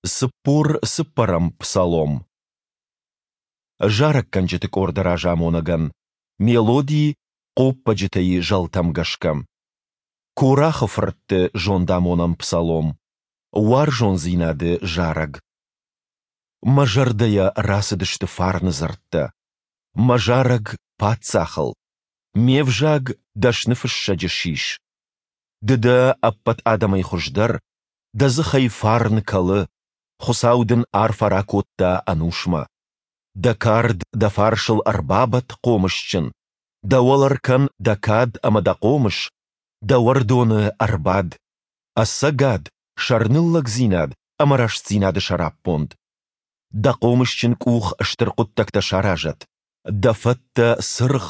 44-ӕм псалом. Зарӕггӕнджыты къорды разамонӕгӕн. Мелоди хъоппӕджытӕ-йы зӕлтӕм гӕсгӕ. Корахы фыртты зондамонӕн псалом. Уарзондзинады зарӕг. Мӕ зӕрдӕйӕ рацыдысты фарны дзырдтӕ. Мӕ зарӕг паддзахыл. Ме взаг дӕсны фыссӕджы сис. Ды дӕ ӕппӕт адӕмӕй хуыздӕр, дӕ дзыхӕй фарн кӕлы, Хуыцау дын арфӕ ракодта ӕнусмӕ. Дӕ кард дӕ фарсыл ӕрбабадт хъомысджын, дӕ уӕлӕ ркӕн дӕ кад ӕмӕ дӕ хъомыс, дӕ уӕрдоны ӕрбад. Ӕцӕгад, сӕрныллӕгдзинад ӕмӕ рӕстдзинады сӕраппонд. Дӕ хъомысджын къух стыр хъуыддӕгтӕ саразӕд, дӕ фӕттӕ цыргъ,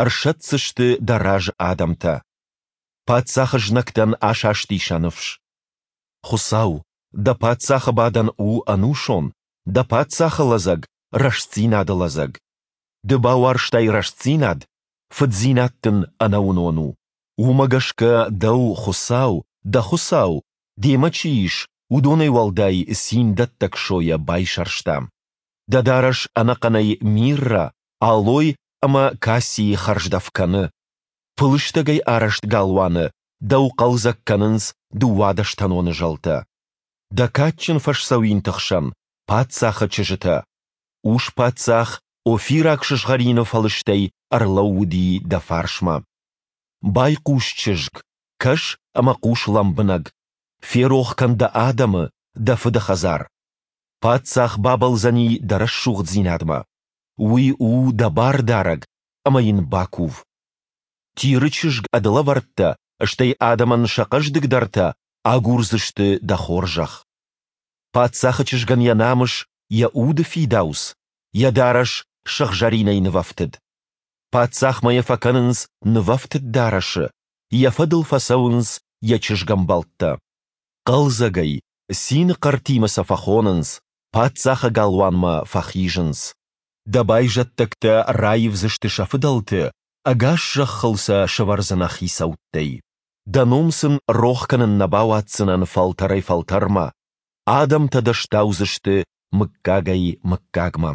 ӕрсӕтдзысты дӕ разы адӕмтӕ. Паддзахы знӕгтӕн асасти сӕ ныфс. Хуыцау, дӕ паддзахы бадӕн у ӕнусон, дӕ паддзахы лӕдзӕг рӕстдзинады лӕдзӕг. Ды бауарзтай рӕстдзинад, фыддзинад дын ӕнӕуынон у. Уымӕ гӕсгӕ дӕу Хуыцау, дӕ Хуыцау, демӕ чи ис, уыдонӕй уӕлдай циндӕттӕг сойӕ байсӕрста. Дӕ дарӕс ӕнӕхъӕнӕй миррӕ, алой ӕмӕ кассийы хӕрздӕф кӕны. Пылыстӕгӕй арӕзт галуаны дӕу хъӕлдзӕг кӕнынц дыууадӕстӕноны зӕлтӕ. Дӕ кадджын фӕсдзӕуинты хсӕн паддзахы чызджытӕ. Ус-паддзах офираг сызгъӕрины фӕлыстӕй ӕрлӕууыди дӕ фарсмӕ. Байхъус, чызг, кӕс ӕмӕ хъус лӕмбынӕг. Ферох кӕн дӕ адӕмы, дӕ фыды хӕдзар. Паддзах бабӕлдзӕни дӕ рӕсугъддзинадмӕ. Уый у дӕ бардарӕг, ӕмӕ йын бакув. Тиры чызг ӕд лӕвӕрттӕ, стӕй адӕмӕн сӕ хъӕздыгдӕртӕ агурдзысты дӕ хорзӕх. Паддзахы чызгӕн йӕ намыс, йӕ уды фидауц, йӕ дарӕс сыгъзӕринӕй нывӕфтыд. Паддзахмӕ йӕ фӕкӕнынц нывӕфтыд дарӕсы, йӕ фӕдыл фӕцӕуынц йӕ чызгӕмбӕлттӕ. Хъӕлдзӕгӕй, цины хъӕртимӕ сӕ фӕхонынц, паддзахы галуанмӕ фӕхизынц. Дӕ байзӕддӕгтӕ раивдзысты сӕ фыдӕлты, ӕгас зӕххыл сӕ сӕвӕрдзынӕ хицӕуттӕй. Дӕ ном сын рох кӕнын нӕ бауадздзынӕн фӕлтӕрӕй-фӕлтӕрмӕ, адӕмтӕ дӕ стаудзысты мыггагӕй-мыггагмӕ.